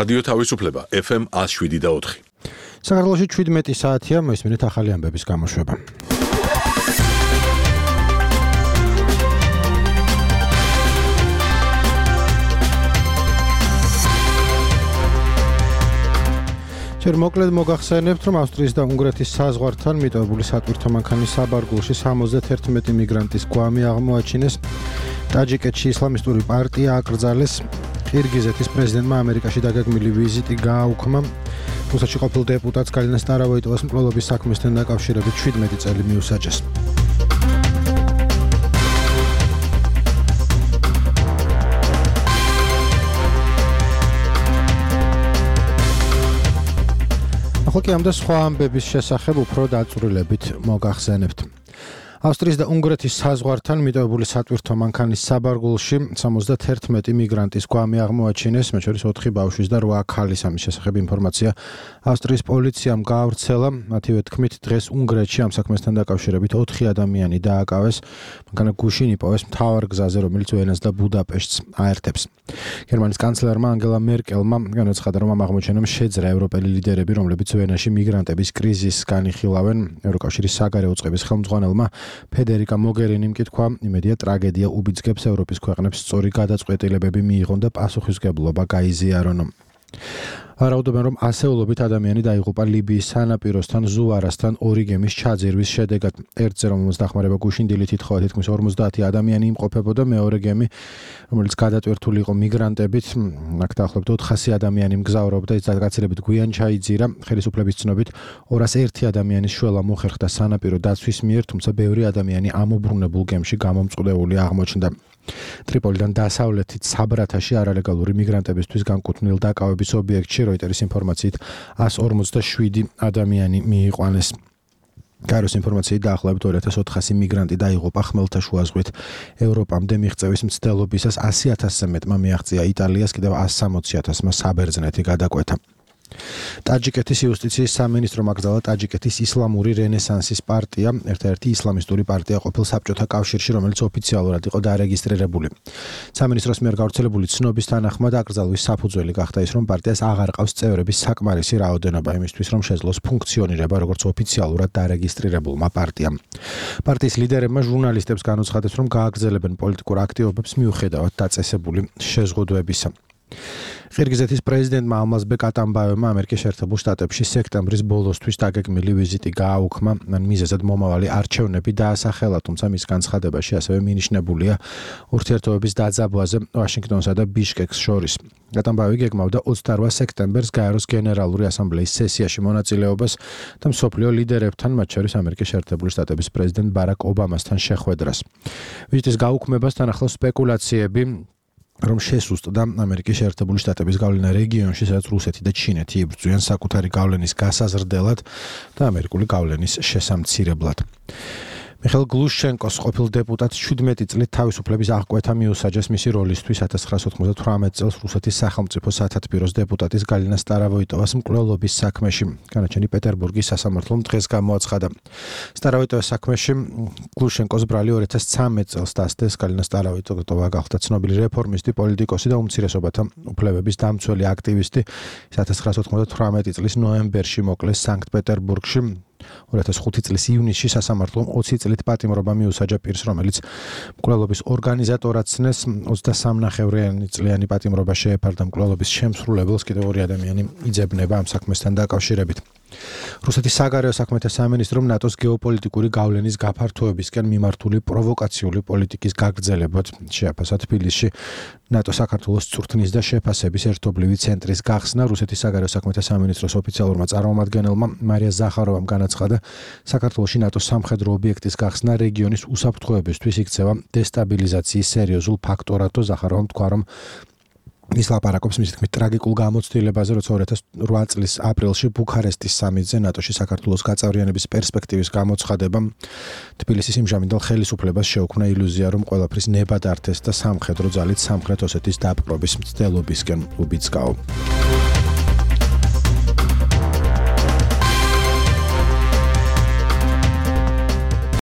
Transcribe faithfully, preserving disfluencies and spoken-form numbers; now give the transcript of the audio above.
რადიო თავისუფლება ეფ ემ ათს შვიდი და ოთხი. საქართველოში შვიდმეტი საათია, მოისმინეთ ახალი ამბების გამოშვება. ჯერ მოკლედ მოგახსენებთ, რომ ავსტრიის და უნგრეთის საზღვართან მიტოვებული სატვირთო მანქანის საბარგულში სამოცდათერთმეტი მიგრანტის გვამი აღმოაჩინეს. ტაჯიკეთში ისლამისტური პარტია აკრძალეს. ყირგიზეთის პრეზიდენტმა ამერიკაში დაგეგმილი ვიზიტი გააუქმა. რუსეთში ყოფილ დეპუტატს გალინა სტარავოიტოვას მკვლელობის საქმესთან დაკავშირებით შვიდმეტი წელი მიუსაჯეს. ახლა კი ამ და სხვა ამბების შესახებ უფრო დაწვრილებით მოგახსენებთ. ავსტრიის და უნგრეთის საზღვართან მიტოვებული სატვირთო მანქანის საბარგულში სამოცდათერთმეტი მიგრანტის გვამი აღმოაჩინეს, მათ შორის ოთხი ბავშვის და რვა ქალის. ამის შესახებ ინფორმაცია ავსტრიის პოლიციამ გაავრცელა. მათივე თქმით, დღეს უნგრეთში ამ საქმესთან დაკავშირებით ოთხი ადამიანი დააკავეს. მანქანა გუშინ იპოვეს მთავარ გზაზე, რომელიც ვენას და ბუდაპეშტს აერთებს. გერმანიის კანცლერმა ანგელა მერკელმა განაცხადა, რომ ამ აღმოჩენამ შეძრა ევროპელი ლიდერები, რომლებიც ვენაში მიგრანტების კრიზისს განიხილავენ. ევროკავშირის საგარეო წყების ხელმძღვანელმა ფედერიკა მოგერინიმ კი თქვა, იმედია ტრაგედია უბიძგებს ევროპის ქვეყნებს სწორი გადაწყვეტილებები მიიღონ და პასუხისმგებლობა გაიზიარონ. ვარაუდობენ, რომ ასეულობით ადამიანი დაიღუპა ლიბიის სანაპიროსთან ზუვარასთან ორი გემის ჩაძირვის შედეგად. ერთზე რომელმაც დახმარება გუშინ დილით ითხოვა, თითქმის ორმოცდაათი ადამიანი იმყოფებოდა, მეორე გემი, რომელიც გადატვირთული იყო მიგრანტებით, აქ დაახლოებით ოთხასი ადამიანი მგზავრობდა, ის გადაგაცილებით გვიან ჩაიძირა. ხელისუფლების ცნობით ორას ერთი ადამიანის შველა მოხერხდა სანაპირო დაცვის მიერ, თუმცა ბევრი ადამიანი ამობრუნებულ გემში გამომწყვლეული აღმოჩნდა. ტრიპოლიდან დასავლეთით საბრათაში არალეგალური მიგრანტებისთვის განკუთვნილ დაკავების ობიექტში როიტერის ინფორმაციით ას ორმოცდაშვიდი ადამიანი მიიყვანეს. გაეროს ინფორმაციით დაახლოებით ორი ათას ოთხასი მიგრანტი დაიღუპა ხმელთაშუა ზღვით. ევროპამდე მიღწევის მცდელობისას ასი ათასზე მეტმა მიაღწია იტალიას, კიდევ ას სამოცი ათასმა საბერძნეთი გადაკვეთა. ტაჯიკეთის იუსტიციის სამინისტრომ აკრძალა ტაჯიკეთის ისლამური რენესანსის პარტია, ერთ-ერთი ისლამისტური პარტია ყოფილ საბჭოთა კავშირში, რომელიც ოფიციალურად იყო დარეგისტრირებული. სამინისტროს მიერ გავრცელებული ცნობის თანახმად აკრძალვის საფუძველი გახდა ის, რომ პარტიას აღარ ყავს წევრების საკმარისი რაოდენობა იმისთვის, რომ შეძლოს ფუნქციონირება როგორც ოფიციალურად დარეგისტრირებულმა პარტიამ. პარტიის ლიდერებმა ჟურნალისტებს განუცხადეს, რომ გააგრძელებენ პოლიტიკურ აქტივობებს მიუხედავად დაწესებული შეზღუდვებისა. ყირგიზეთის პრეზიდენტმა ალმაზბეკ ატამბაევმა ამერიკის შეერთებულ შტატებში სექტემბრის ბოლოსთვის დაგეგმილი ვიზიტი გააუქმა. მან მიზეზად მომავალი არჩევნები დაასახელა, თუმცა მის განცხადებაში ასევე მინიშნებულია ურთიერთობების დაძაბვაზე ვაშინგტონსა და ბიშკეკს შორის. ატამბაევი გეგმავდა ოცდაორ სექტემბერს გაეროს გენერალური ასამბლეის სესიაში მონაწილეობას და მსოფლიო ლიდერებთან, მათ შორის ამერიკის შეერთებული შტატების პრეზიდენტ ბარაკ ობამასთან შეხვედრას. ვიზიტის გაუქმებასთან ახლავს სპეკულაციები, რომ შესუსტდა ამერიკის შეერთებული შტატების გავლენა რეგიონში, სადაც რუსეთი და ჩინეთი იბრძვიან საკუთარი გავლენის გასაზრდელად და ამერიკული გავლენის შესამცირებლად. მიხეილ გლუშჩენკოს ყოფილ დეპუტატს შვიდმეტი წლით თავისუფლების აღკვეთა მიუსაჯეს მისი როლისთვის ათას ცხრაასა ოცდათვრამეტ წელს რუსეთის სახელმწიფო სათათბიროს დეპუტატის გალინა სტარავოიტოვას მკვლელობის საქმეში. განაჩენი პეტერბურგის სასამართლომ დღეს გამოაცხადა. სტარავოიტოვას საქმეში გლუშჩენკოს ბრალი ორი ათას ცხრამეტ წელს დასდეს. გალინა სტარავოიტოვა გახდა ცნობილი რეფორმისტი, პოლიტიკოსი და უმცირესობათა უფლებების დამცველი აქტივისტი. ათას ცხრაასა ოცდათვრამეტი წლის ნოემბერში მოკლეს სანქტ-პეტერბურგში. ორი ათას ხუთი წლის ივნისში სასამართლომ ოცი წლით პატიმრობა მიუსაჯა პირს, რომელიც მკვლელობის ორგანიზატორად ცნეს. ოცდასამნახევრიანი წლიანი პატიმრობა შეეფარდა მკვლელობის შემსრულებელს, კიდევ ორი ადამიანი იძებნება ამ საქმესთან დაკავშირებით. რუსეთის საგარეო საქმეთა სამინისტრომ ნატოს გეოპოლიტიკური გავლენის გაფართოებისკენ მიმართული პროვოკაციული პოლიტიკის გაგრძელებად შეაფასა თბილისში ნატო საქართველოს წვრთნის და შეფასების ერთობლივი ცენტრის გახსნა. რუსეთის საგარეო საქმეთა სამინისტროს ოფიციალურმა წარმომადგენელმა მარია ზახაროვამ განაცხადა, საქართველოში ნატოს სამხედრო ობიექტის გახსნა რეგიონის უსაფრთხოებისთვის იქცევა დესტაბილიზაციის სერიოზულ ფაქტორად. ზახაროვამ თქვა, რომ ის ლაპარაკობს მისი თქმით ტრაგიკულ გამოცდილებაზე, როცა ორი ათას ოთხ წლის აპრილში ბუქარესტის სამიტზე ნატოში საქართველოს გაწევრიანების პერსპექტივის გამოცხადებამ თბილისის იმჟამინდელ ხელისუფლებას შეუქმნა ილუზია, რომ ყველაფრის ნება დართეს და სამხედრო ძალით სამხრეთ ოსეთის დაპყრობის მცდელობისკენ უბიძგაო.